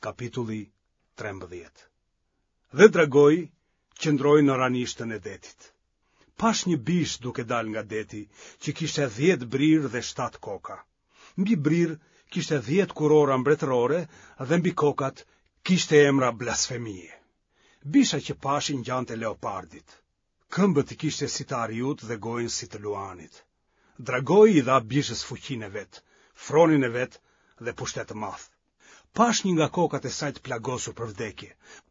Kapitulli 13. Dhe dragoi qëndroi në ranishtën e detit. Pashë një bishë duke dalë nga deti, që kishte 10 brirë dhe 7 koka. Mbi brirë kishte 10 kurora mbretërore dhe mbi kokat kishte emra blasfemie. Bisha që pashë i ngjante leopardit. Këmbët i kishte si të ariut dhe gojën si të luanit. Dragoi i dha bishës fuqinë e vet, fronin e vet dhe pushtet të madh. Pashë një nga kokat e saj të plagosur për vdekje,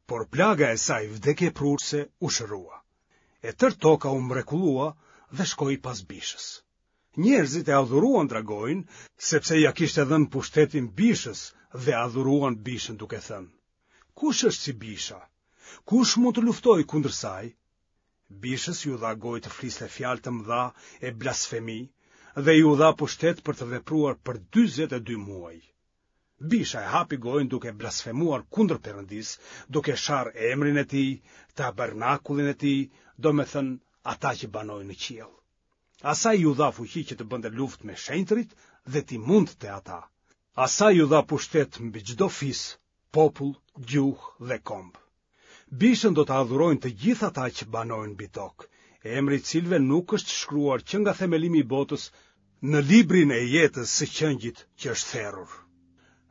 por plaga e saj vdekjeprurëse u shërua. E tërë toka u mrekullua dhe shkoi pas bishës. Njerëzit e adhuruan dragoin, sepse ia kishte dhënë pushtetin bishës dhe adhuruan bishën duke thënë: Kush është si bisha? Kush mund të luftojë kundër saj? Bishës iu dha gojë të fliste fjalë të mëdha e blasfemi dhe iu dha pushtet për të vepruar për 42 muaj. Bisha e hapi gojën duke blasfemuar kundër Perëndisë, duke sharë emrin e tij, tabernakullin e tij, domethënë ata që banojnë në qiell. Asaj iu dha fuqi që të bënte luftë me shenjtërit dhe t'i mundte ata. Asaj iu dha pushtet mbi çdo fis, popull, gjuhë dhe komb. Bishën do ta adhurojnë të gjithë ata që banojnë mbi tokë, emri i të cilëve nuk është shkruar që nga themelimi i botës në librin e jetës së qengjit që është therur.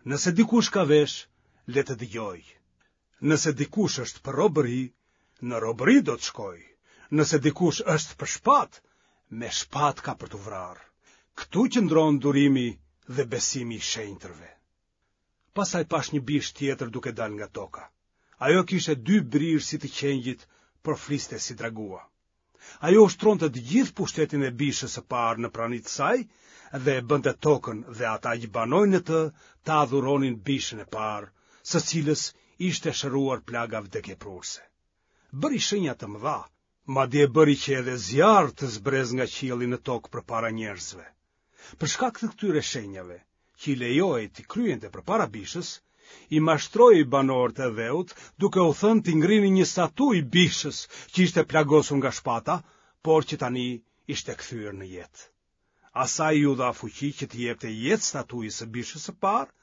Nëse dikush ka veshë, le të dëgjojë. Nëse dikush është për robëri, në robëri do të shkojë. Nëse dikush është për shpatë, me shpatë ka për t'u vrarë. Këtu qëndron durimi dhe besimi i shenjtërve. Pastaj pashë një bishë tjetër duke dalë nga toka. Ajo kishte dy brirë si të qengjit, por fliste si dragua. Ajo ushtronte të gjithë pushtetin e bishës së parë në prani të saj dhe e bënte tokën dhe ata që banojnë në të të adhuronin bishën e parë, së cilës ishte shëruar plaga vdekjeprurëse. Bëri shenja të mëdha, madje bëri që edhe zjarr të zbresë nga qielli në tokë përpara njerëzve. Për shkak të këtyre shenjave, që i lejohej t'i kryente përpara bishës, i mashtroi banorët e dheut duke u thënë t'i ngrinin një statujë bishës që ishte plagosur nga shpata, por që tani ishte kthyer në jetë. Asaj iu dha fuqi që t'i jepte jetë statujës së bishës së parë,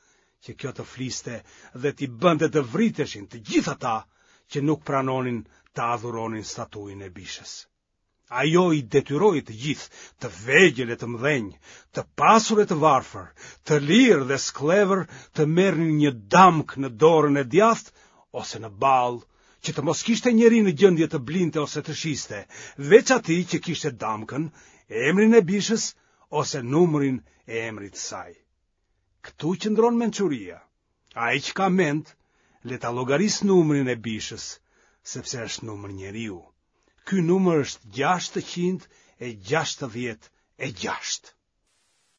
që kjo të fliste dhe t'i bënte të vriteshin të gjithë ata që nuk pranonin të adhuronin statujën e bishës. Ajo i detyroi të gjithë, të vegjël e të mëdhenj, të pasur e të varfër, të lirë dhe skllevër, të merrnin një damkë në dorën e djathtë ose në ballë, që të mos kishte njeri në gjendje të blinte ose të shiste, veç atij që kishte damkën, emrin e bishës ose numrin e emrit të saj. Këtu qëndron mençuria. Ai që ka mend, le ta llogarisë numrin e bishës, sepse është numër njeriu. Ky numër është 666.